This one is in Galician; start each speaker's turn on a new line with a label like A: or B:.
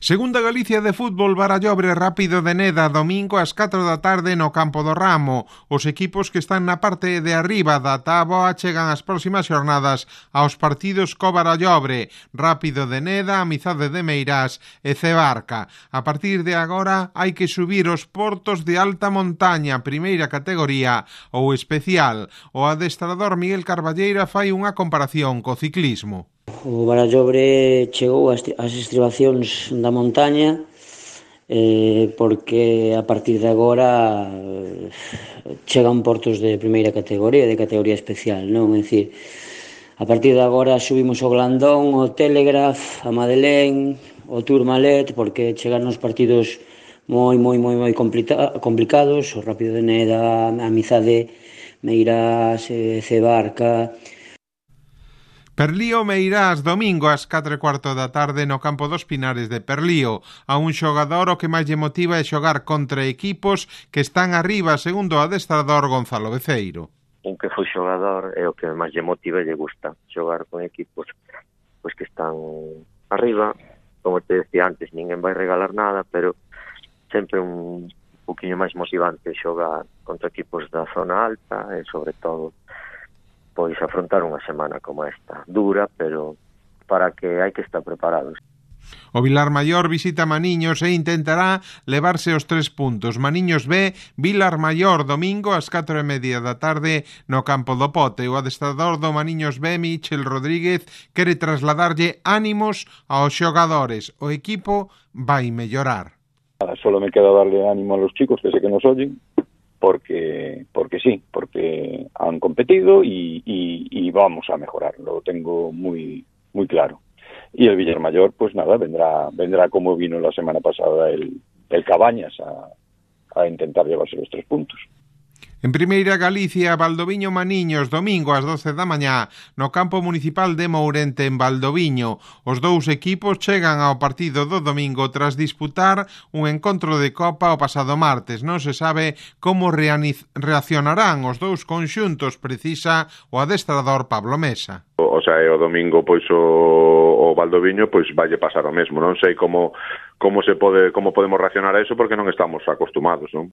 A: Segunda Galicia de fútbol, Barallobre Rápido de Neda, domingo ás 4 da tarde no campo do Ramo. Os equipos que están na parte de arriba da táboa chegan as próximas xornadas aos partidos co Barallobre, Rápido de Neda, Amizade de Meirás e Cebarca. A partir de agora hai que subir os portos de alta montaña, primeira categoría ou especial. O adestrador Miguel Carballeira fai unha comparación co ciclismo.
B: O Barallobre chegou ás estribacións da montaña porque a partir de agora chegan portos de primeira categoría, de categoría especial, non? É dicir, a partir de agora subimos o Blandón, o Telegraph, a Madeleine, o Tourmalet, porque chegan os partidos moi complicados, o Rápido de Neda, a Amizade, Meirás, Cebarca.
A: Perlío Meirás, domingo ás 4:15 da tarde no campo dos Pinares de Perlío. A un xogador o que máis lle motiva é xogar contra equipos que están arriba, segundo o adestrador Gonzalo Beceiro.
C: Un que foi xogador é o que máis lle motiva e lle gusta xogar con equipos pois que están arriba. Como te decía antes, ninguén vai regalar nada, pero sempre un poquinho máis motivante xogar contra equipos da zona alta e sobre todo pois afrontar unha semana como esta, dura, pero para que hai que estar preparados.
A: O Vilar Maior visita Maniños e intentará levarse os 3 puntos. Maniños B, Vilar Maior, domingo ás 4:30 da tarde no campo do Pote. O adestrador do Maniños B, Michel Rodríguez, quere trasladarlle ánimos aos xogadores. O equipo vai mellorar.
D: Solo me queda darle ánimo a los chicos que sé que nos oyen, porque sí, porque han competido y vamos a mejorar, lo tengo muy claro. Y el Villarmayor, pues nada, vendrá como vino la semana pasada el Cabañas a intentar llevarse los 3 puntos.
A: En Primeira Galicia, Valdoviño Maniños, domingo ás 12 da mañá, no campo municipal de Mourente, en Valdoviño. Os dous equipos chegan ao partido do domingo tras disputar un encontro de Copa o pasado martes. Non se sabe como reaccionarán os dous conxuntos, precisa o adestrador Pablo Mesa.
E: O sea, o domingo pois o Valdoviño pois valle pasar o mesmo. Non sei como podemos reaccionar a eso porque non estamos acostumados, non?